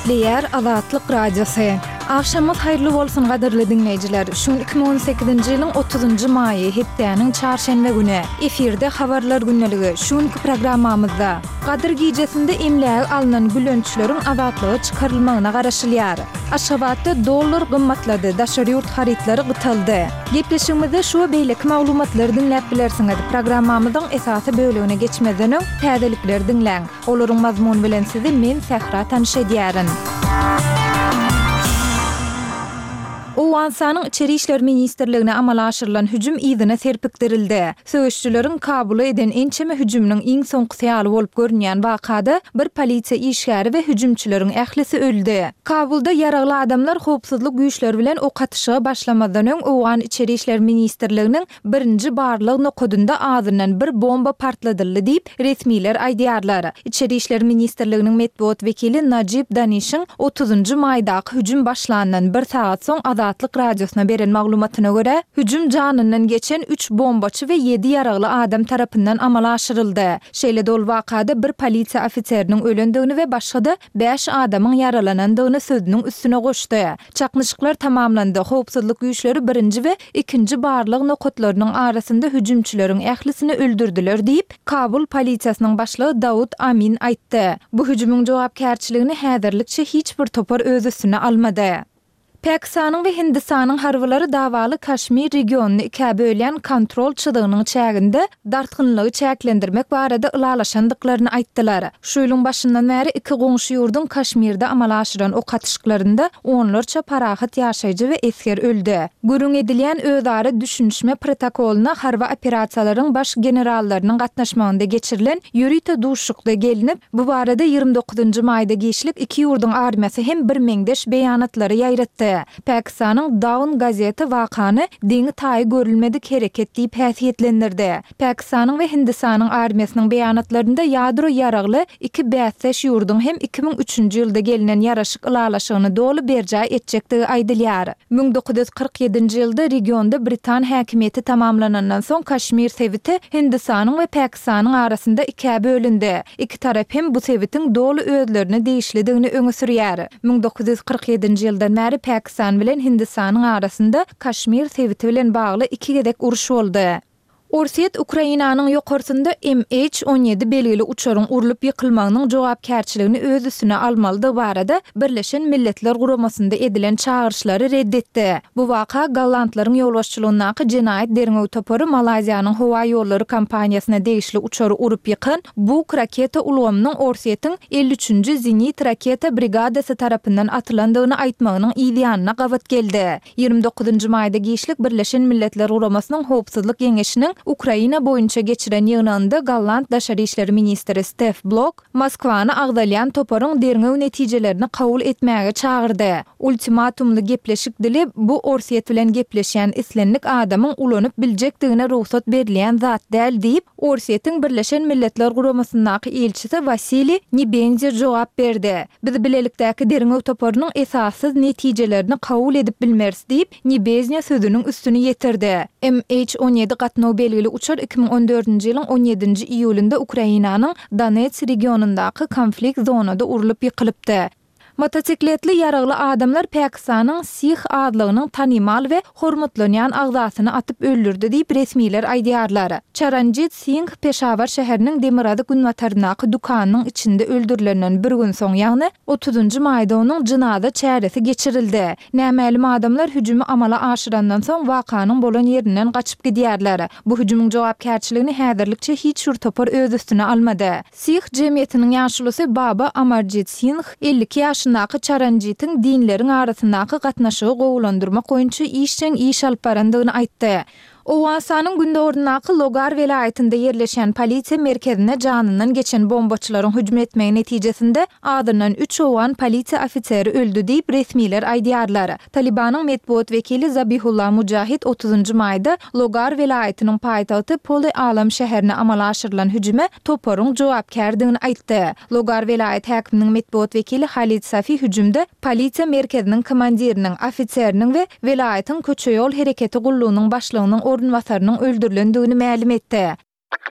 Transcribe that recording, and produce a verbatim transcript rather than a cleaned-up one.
Gepleýär Azatlyk Radiosy. Agşamyňyz haýyrly bolsun gadyrly diňleýjiler. Şu gün iki müň on sekizinji ýylyň otuzynjy maýy, hepdäniň çarşenbe güni. Efirde Habarlar gündeligi. Şu günki programmamyzda Gadyr gijesinde emlägi alnan gülençleriň azatlyga çykarylmagyna garaşylýar. Aşgabatda dollar gymmatlady, daşary ýurt harytlary gytaldy. Gepleşigimizde şu we beýleki maglumatlary diňläp bilersiňiz. Programmamyzyň esasy bölegine geçmezden öň, täzelikleri diňläň. Olaryň mazmuny bilen sizi men Sähra tanyş edýärin. Owganystanyň Içeri işler ministrligine amala aşyrylan hüjüm yzyna serpikdirildi. Söweşijileriň Kabula eden ençeme hüjüminiň iň soňkusy ýaly bolup görünýän wakada bir polisiýa işgäri we hüjümçileriň ählisi öldi. Kabulda ýaragly adamlar howpsuzlyk güýçleri bilen ok atyşyga başlamazdan öň Owgan Içeri işler ministrliginiň birinji barlag nokadynda azyndan bir bomba partladyldy diýip, resmiler aýdýarlar. Içeri işler ministrliginiň metbugat wekili Najib Danişiň otuzynjy maýdaky hüjüm başlandan bir sagat soň Azatlyk Radiosyna beren maglumatyna görä, hüjüm janyndan geçen üç bombaçy we ýedi ýaragly adam tarapyndan amala aşyryldy. Şeýle-de ol wakada bir polisiýa ofiseriniň ölendigini we başga-da bäş adamyň ýaralanandygyny sözüniň üstüne goşdy. Çaknyşyklar tamamlandy, howpsuzlyk güýçleri birinji we ikinji barlag nokatlarynyň arasynda hüjümçileriň ählisini öldürdiler diýip, Kabul polisiýasynyň başlygy Dawud Amin aýtdy. Bu hüjümiň jogapkärçiligini häzirlikçe hiç bir topar öz üstüne almady. Pakistanyň we Hindistanyň harbylary dawaly Kaşmir regionyny ikä bölýän kontrol çyzygynyň çäginde dartgynlygy çäklendirmek barada ylalaşandyklaryny aýtdylar. Şu ýylyň başyndan bäri iki goňşy ýurduň Kaşmirde amala aşyran ok atyşyklarynda onlarça parahat ýaşaýjy we esger öldi. Gürrüň edilýän özara düşünişme protokolyna harby operasiýalaryň baş generallarynyň gatnaşmagynda geçirilen ýörite duşuşykda gelnip, bu barada ýigrimi dokuzynjy maýda giçlik iki ýurduň armiýasy hem birmeňzeş beýanatlary ýaýratdy. Pakistanyň Dawn gazeti wakany deňi-taýy görülmedik hereket diýip häsiýetlendirdi. Pakistanyň we Hindistanyň armiýasynyň beýanatlarynda ýadro ýaragly iki bäsdeş ýurduň hem iki müň üçünji ýylda gelnen ýaraşyk ylalaşygyny doly berjaý etjekdigi aýdylýar. Müň dokuz ýüz kyrk ýedinji ýylda regionda britan häkimiýeti tamamlanandan soň Kaşmir sebiti Hindistanyň we Pakistanyň arasynda ikä bölündi. Iki tarap hem bu sebitiň doly özlerine degişlidigini öňe sürýär. Müň dokuz ýüz kyrk ýedinji ýyldan bäri Pakistan bilen Hindistanyň arasynda Kaşmir sebiti bilen bagly iki gezek uruş boldy. Orsýet Ukrainanyň ýokarsynda M H on ýedi belgili uçaryň urlup ýykylmagynyň jogapkärçiligini öz üstüne almalydygy barada Birleşen Milletler Guramasynda edilen çagyryşlary red etdi. Bu waka gollandlaryň ýolbaşçylygyndaky jenaýat derňew topary Malaýziýanyň howa ýollary kompaniýasyna degişli uçary urup ýykan Buk raketa ulgamynyň Orsýetiň elli üçünji zenit raketa brigadasy tarapyndan atylandygyny aýtmagynyň yz ýanyna gabat geldi. Ýigrimi dokuzynjy maýda giçlik Birleşen Milletler Guramasynyň Howpsuzlyk Geňeşiniň Ukraina boýunça geçiren ýygnagynda golland daşary işler ministri Stef Blok Moskwany agzalýan toparyň derňew netijelerini kabul etmäge çagyrdy. Ultimatumly gepleşik dili bu Orsýet bilen gepleşýän islendik adamyň ulanyp biljekdigine rugsat berilýän zat däl diýip, Orsýetiň Birleşen Milletler Guramasyndaky ilçisi Wasiliý Nebenzýa jogap berdi. Biz bilelikdäki derňew toparynyň esassyz netijelerini kabul edip bilmeris diýip, Nebenzýa sözüniň üstüni ýetirdi. M H on ýedi gatnaw belgili uçar iki müň on dördünji ýylyň on ýedinji iýulynda Ukrainanyň Donets regionyndaky konflikt zonada urlup ýykylypdy. Motosikletli ýaragly adamlar Pakistanyň Sih azlygynyň tanymal we hormatlanýan agzasyny atyp öldürdi diýip resmiler aýdýarlar. Çaranjit Singh Peşawar şäheriniň demirgazyk günbataryndaky dükanynyň içinde öldürilenden bir gün soň, ýagny otuzynjy maýda onuň jynaza çäresi geçirildi. Nämälim adamlar hüjümi amala aşyrandan soň wakanyň bolan ýerinden gaçyp gidýärler. Bu hüjümiň jogapkärçiligini häzirlikçe hiç bir topar öz üstüne almady. Sih jemgyýetiniň ýaşulusy Baba Amarjit Singh elli iki ýaşyndaky Çaranjitiň dinleriň arasyndaky gatnaşygy gowulandyrmak boýunça işjeň iş alyp barandygyny aýtdy. Owganystanyň gündogaryndaky Logar welaýatynda ýerleşen polisiýa merkezine janyndan geçen bombaçylaryň hüjüm etmegi netijesinde azyndan üç owgan polisiýa ofiseri öldi diýip resmiler aýdýarlar. Talibanyň metbugat wekili Zabihullah Mujahid otuzynjy maýda Logar welaýatynyň paýtagty Poli Alam şäherine amala aşyrylan hüjüme toparyň jogapkärdigini aýtdy. Logar welaýat häkiminiň metbugat wekili Halid Safi hüjümde polisiýa merkeziniň komandiriniň, ofiseriniň we welaýatyň köçe-ýol hereketi gullugynyň başlygynyň orunbasarynyň öldürilendigini mälim etdi.